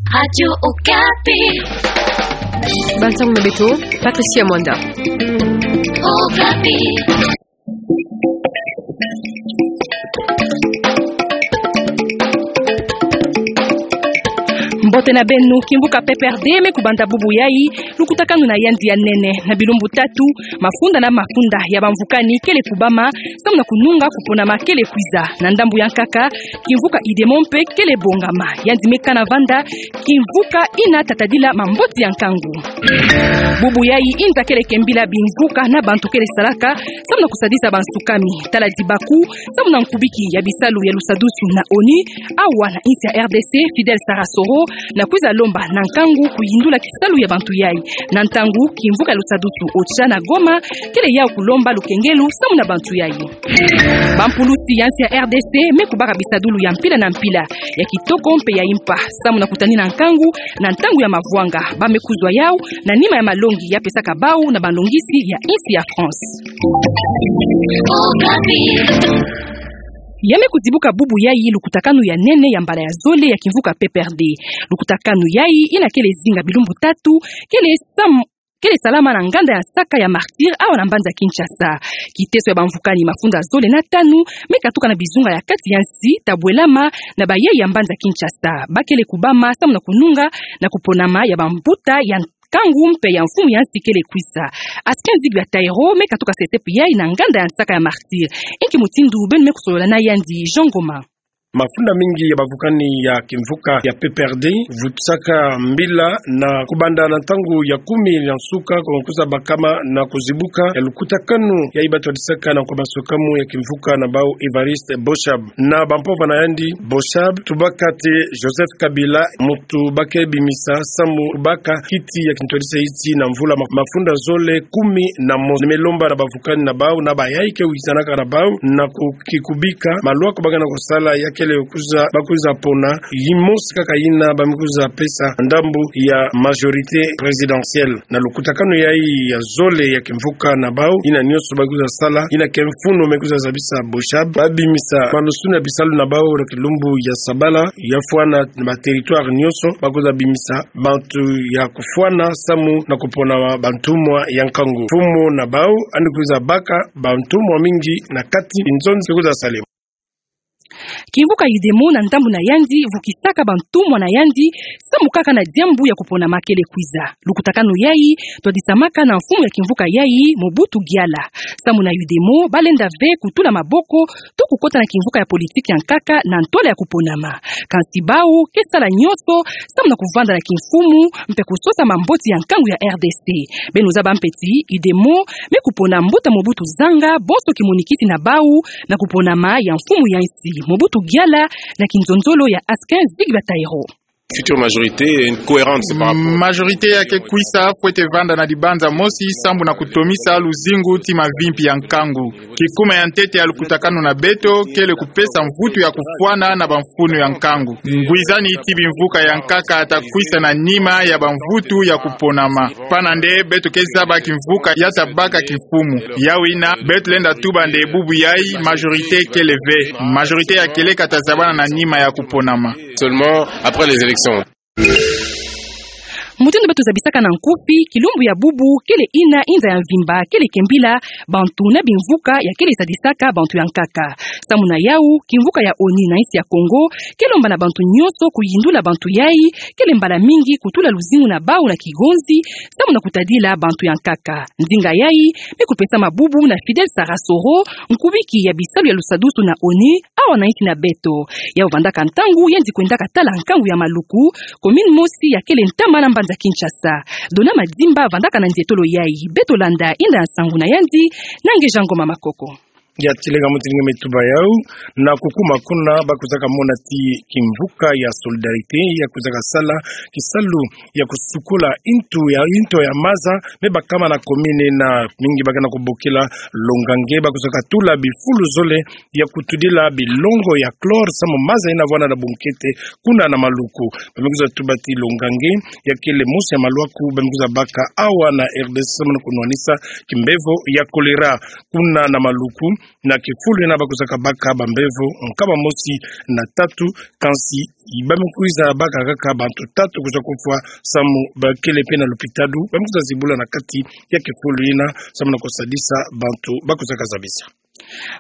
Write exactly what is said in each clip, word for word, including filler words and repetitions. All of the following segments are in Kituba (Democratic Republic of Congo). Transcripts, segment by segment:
Radio Okapi. Bantu na beto, Patricia Mwanda. Okapi. Mbote na beno. Kimvuka P P R D me kubanda bubu yayi lukutakanu na yandi ya nene na bilumbu tatu. Mafunda na mafunda ya bamvukani kele kubama samu na kununga kuponama kele kwiza. Na ndambu ya nkaka, kimvuka UDEMO mpe kele bongama. Yandi me kana vanda kimvuka ina tatadila mambote ya nkangu. Bubu yayi inza kele kembila bimvuka na bantu kele salaka samu na kusadisa bansukami. Tala dibaku samu na nkubiki ya bisalu ya lusadusu na ONU, awa na insi ya R D C, Fidel Sarasoro, na kwiza lomba na nkangu kuyindula kisalu ya bantu yayi. Na ntangu kimvuka ya lusadusu OCHA na Goma kele yau kulomba lukengelu samu na bantu yayi. Bampulusi ya insi ya R D C me kubaka bisadulu ya mpila na mpila, ya kitoko mpe ya impa, samu na kutanina nkangu na ntangu ya mavwanga. Ba me kuzwa yau na nima ya malongi ya pesaka bau na balongisi ya insi ya France. Ya me kuzibuka bubu yayi lukutakanu ya nene ya mbala ya zole ya kimvuka P P R D. Lukutakanu yayi ina kele zinga bilumbu tatu, kele sam-, kele salama na nganda ya nsaka ya Martyrs awa na mbanza Kinshasa. Kiteso ya bamvukani mafunda zole na tanu me katuka na bizunga ya kati ya nsi, tabwelama na bayayi ya mbanza Kinshasa. Ba kele kubama samu na kununga na kuponama ya bambuta ya nkangu mpe ya mfumu ya nsi kele kwiza. Askin Zigwe ya Taïro me katuka sesepi yayi na nganda ya nsaka ya Martyrs. Inki mutindu beno me kusolola na yandi? Jean Ngoma. Mafunda mingi ya bavukani ya kimvuka ya P P R D vutusaka mbila na kubanda na ntangu ya kumi ya nsuka, ko kwiza bakama na kuzibuka ya lukutakanu yayi batwadisaka na nkwa masukamu ya kimvuka na bau Évariste Boshab. Na bampova na yandi, Boshab tubaka te Joseph Kabila, muntu ba ke bimisa samu kubaka kiti ya kintwadisa iti na mvula ma-, mafunda zole kumi na mosi. Me lomba na bavukani na bau na bayayi ke wisanaka na bau na ku-, kikubika malwa ko ba ke na kusala ya kele kwiza, ba kwiza pona yimosi kaka yina ba me kwiza pesa ndambu ya majorité présidentielle. Na lukutakanu yayi ya zole ya kimvuka na bau, yina nyonso ba kwiza sala, yina ke mfunu me kwiza zabisa Boshab, ba bimisa manusuni ya bisalu na bau na kilumbu ya sabala, ya fwana na ba territoire nyonso, ba kwiza bimisa bantu ya kufwana samu na kupona bantumwa ya nkangu. Mfumu na bau yandi kwiza baka bantumwa mingi na kati binzonzi kwiza salema. Kimvuka UDEMO na ndambu na yandi vukisaka bantumwa na yandi samu kaka na diambu ya kuponama kele kwiza. Lukutakanu yayi twadisamaka na mfumu ya kimvuka yayi, Mobutu Giala. Samu na UDEMO, ba lenda ve kutula maboko to kukota na kimvuka ya politiki ya nkaka na ntwala ya kuponama. Kansi bau ke sala nyonso samu na kuvanda na kimfumu mpe kusosa mambote ya nkangu ya R D C. Beno zaba mpe ti UDEMO me kupona mbuta Mobutu Zanga, bonso kimonikisi na bau na kuponama ya mfumu ya nsi. Mobutu Giala na kinzonzolo ya Askin Zigwe ya Taïro. Future majorité est cohérente par rapport. Majorité ya ke kwisa fwete vanda na dibanza mosi samu na kutomisa luzingu ti mavimpi ya nkangu. Kikuma ya ntete ya lukutakanu na beto kele kupesa mvutu ya kufwana na bamfunu ya nkangu. Ngwizani ti bimvuka ya nkaka ta kwisa na nima ya bamvutu ya kuponama. Pana nde beto ke zaba kimvuka ya ta baka kimfumu. Yawina, beto lenda tuba nde bubu yayi majorité kele ve. Majorité ya kieleka ta zabana na nima ya kuponama. Seulement après les élections. Mutindu beto zabisaka na nkufi, kilumbu ya bubu kele yina inza ya mvimba kele kembila bantu na bimvuka ya kele sadisaka bantu ya nkaka. Samu na yau, kimvuka ya ONU na insi ya Kongo ke lomba na bantu nyonso kuyindula bantu yayi kele mbala mingi kutula luzingu na bau na kigonzi samu na kutadila bantu ya nkaka. Nzinga yayi me kupesama bubu na Fidel Sarasoro, nkubiki ya bisalu ya lusadusu na ONU awa na insi na beto. Yau vandaka ntangu yandi kwendaka tala nkangu ya Maluku, commune mosi ya kele ntama na mbanza Kinshasa. Dona Madimba vandaka na ndietolo yayi. Beto landa inda ya nsangu na yandi na Ngeja Ngoma Makoko. Ya tilenga mutindu nge me tuba yau, na kukuma kuna ba kwizaka mona ti kimvuka ya Solidarité ya kwizaka sala kisalu ya kusukula intu ya, intu ya maza me bakama na commune na mingi ba ke na kubokila longange, ba kwizaka tula bifulu zole ya kutudila bilongo ya chlore samu maza yina vwanda na bunkete kuna na Maluku. Ba me kwiza tuba ti longange ya kele mosi ya malwaku ba me kwiza baka awa na R D C samu na kunwanisa kimbevo ya choléra kuna na Maluku. Na kifulu yina ba kusaka baka bambevo nkama mosi na tatu, kansi ba me kwiza baka kaka bantu tatu kwiza kufwa samu ba kele pe na lupitalu, ba me kwiza zibula na kati ya kifulu yina samu na kusadisa bantu ba kusaka zabisa.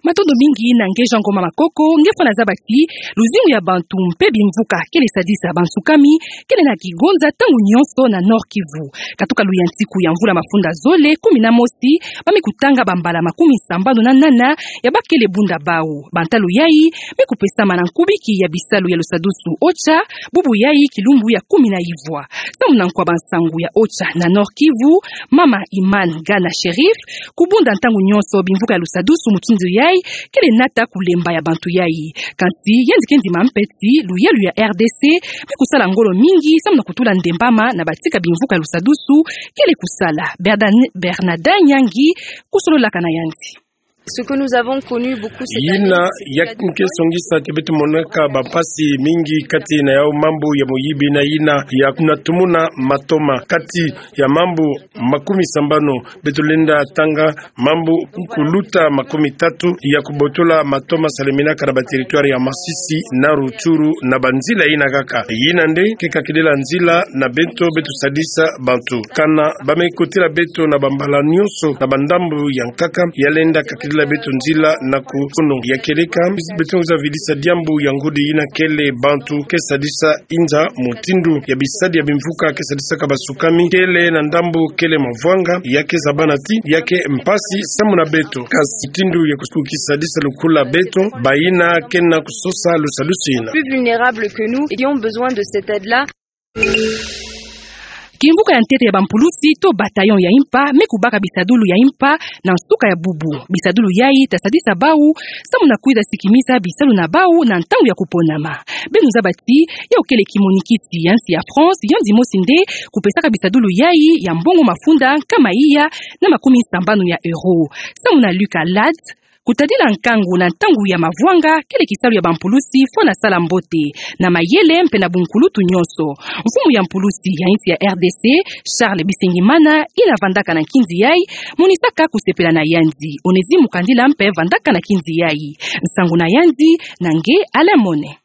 Matondo mingi na nge Jean Ngoma Makoko, nge fwana zaba ti luzingu ya bantu mpe bimvuka kele sadisa bansukami, kele na kigonza ntangu nyonso na Nord-Kivu. Katuka luyantiku ya mvula mafunda zole kumi na mosi, ba me kutanga bambala makumi sambanu na nana ya ba kele bunda bau. Bantalu yai me kupesama na nkubiki ya bisalu ya lusadusu OCHA, bubu yai kilumbu ya kumi na ivwa. Samu na nkwa bansangu ya OCHA na Nord-Kivu, mama Iman Gana Sherif, kubunda ntangu nyonso bimvuka ya lusadusu mutindu yai, kele nata kulemba ya bantu yai. Kansi yandi ke ndima mpe ti luyalu ya R D C me kusala ngolo mingi samu na kutula ndembama na batika bimvuka ya lusadusu kele kusala. Berdan-, Bernadin Nyangi kusololaka na yandi. Ce que nous avons connu beaucoup cette année, yina ya ke songisa ti beto monaka bampasi mingi kati na yau mambu ya moyibi na yina ya kunatumuna matoma kati ya mambu makumi sambanu. Beto lenda tanga mambu kuluta makumi tatu ya kubotola matoma saleminaka na ba territoire ya Masisi na Rutshuru na banzila yina kaka. Yina nde ke kakidila nzila na beto, beto sadisa bantu. Kana ba me kotila beto na bambala nyonso na bandambu ya nkaka, ya lenda kakidila beto nzila na kufunu. Ya kieleka, beto nza vidisa diambu ya ngudi yina kele bantu ke sadisa inza mutindu ya bisadi ya bimvuka ke sadisaka basukami, kele na ndambu kele mavwanga, ya ke zabana ti ya ke mpasi samu na beto. Kasi mutindu ya kusuku kisadisa lukula beto, bayina ke na kusosa lusadusu yina. Plus vulnérables que nous, et qui ont besoin de cette aide-là. Kimvuka ya ntete ya bampulusi to bataillon ya impa me kubaka bisadulu ya impa na nsuka ya bubu. Bisadulu yai ta sadisa bau samu na kwiza sikimisa bisalu na bau na ntangu ya kuponama. Beno zaba ti yau kele kimonikisi ya nsi ya France, yandi mosi nde kupesaka bisadulu yai ya mbongo mafunda nkama iya na makumi sambanu ya euro. Samu na Luc Alade, kutadila nkangu na ntangu ya mavwanga kele kisalu ya bampulusi fwana sala mbote na mayele mpe na bunkulutu nyonso. Mfumu ya mpulusi ya insi ya R D C, Charles Bisengimana, yina vandaka na nkinzi yai, monisaka kusepela na yandi. Onésime Mukandila mpe vandaka na nkinzi yai. Nsangu na yandi na nge Alain Mone.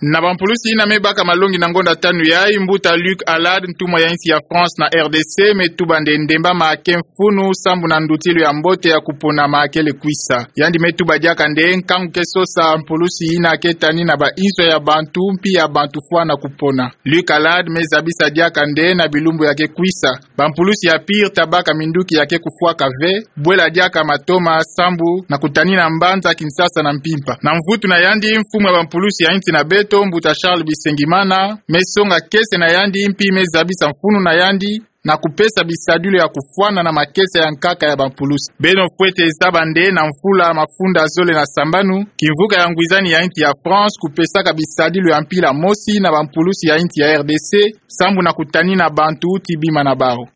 Na bampulusi yina me baka malongi na ngonda tanu yai, mbuta Luc Alade, ntumwa ya insi ya France na R D C, me tuba nde ndembama ke mfunu sambu na ndutilu ya mbote ya kuponama kele kwisa. Yandi me tuba diaka nde nkangu ke sosa mpulusi yina ke tani na ba inzo ya bantu, mpi ya bantu fwana kupona. Luc Alade me zabisa diaka nde na bilumbu ya ke kwisa, bampulusi ya pire ta baka minduki ya ke kufwaka ve, bwela diaka matoma sambu na kutanina mbanza Kinshasa na mpimpa. Na mvutu na yandi, mfumu ya bampulusi ya insi na beto, mbuta Charles Bisengimana, me songa kiese na yandi, mpi me zabisa mfunu na yandi na kupesa bisadulu ya kufwana na makiese ya nkaka ya bampulusi. Beno fwete zaba nde na mvula mafunda zole na sambanu, kimvuka ya ngwizani ya insi ya France kupesaka bisadulu ya mpila mosi na bampulusi ya insi ya R D C, sambu na kutanina bantu ti bima na bau.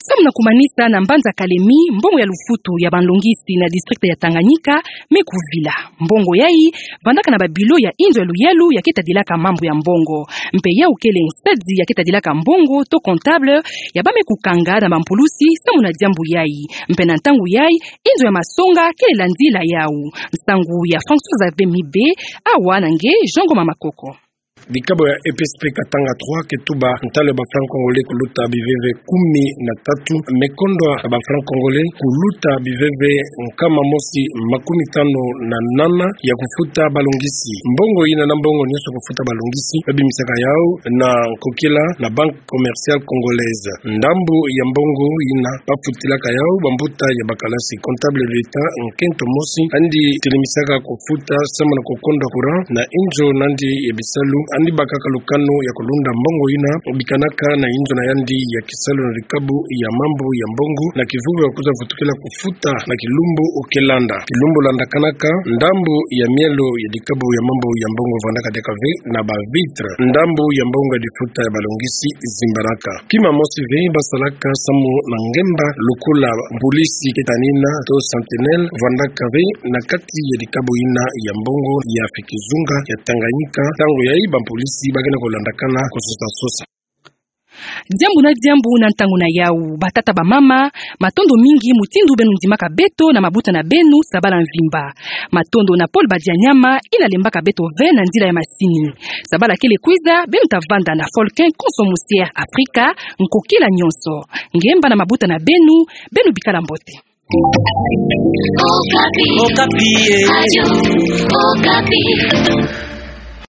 Samu na kumanisa, na mbanza Kalemi, mbongo ya lufutu ya banlongisi na district ya Tanganyika me kuvila. Mbongo yai vandaka na babilo ya inzo ya luyalu ya ke tadilaka mambu ya mbongo. Mpe yau kele nsadi ya ke tadilaka mbongo to comptable ya ba me kukanga na bampulusi samu na diambu yai. Mpe na ntangu yai, inzo ya masonga kele landila yau. Nsangu ya François Xavier Mibe, awa na nge Jean Ngoma Makoko. Dikabo ya E P S P Katanga trois ke tuba ntalu ya ba francs congolais kuluta biveve kumi na tatu, me kondwa na ba francs congolais kuluta biveve nkama mosi makumi tanu na nana ya kufuta balongisi. Mbongo yina na mbongo nyonso kufuta balongisi, ba bimisaka yau na nkokila na Banque Commerciale Congolaise. Ndambu ya mbongo yina ba futilaka yau bambuta ya bakalasi. Comptable de l'État nkento mosi andi tilimisaka kufuta samu na kukondwa courant na inzo nandi ya bisalu, andi bakaka lukanu ya kulunda mbongo yina bikanaka na inzo na yandi ya kisalu na dikabo ya mambu ya mbongo, na kivuvu ya kwiza vutukila kufuta na kilumbu ke landa. Kilumbu landakanaka, ndambu ya mielo ya dikabo ya mambu ya mbongo vandaka diaka ve na ba vitre. Ndambu ya mbongo ya difuta ya balongisi zimbanaka. Kima mosi ve ba salaka samu na ngemba lokola mpulisi ke tanina to sentinelle vandaka ve na kati ya dikabo yina ya mbongo ya Fikizunga ya Tanganyika. Ntangu yai bampulisi ba ke na kulandakana kusosa-sosa. Diambu na diambu na ntangu na yau, batata, bamama, matondo mingi mutindu beno ndimaka beto na mabuta na beno sabala mvimba. Matondo na Paul Badianyama, ina lembaka beto ve na nzila ya masini. Sabala kele kwiza, beno ta vanda na Folklore Konso Musi Afrika, nkokila nyonso. Ngemba na mabuta na beno, beno bikala mbote. Okapi. Okapi, eh. Radio Okapi.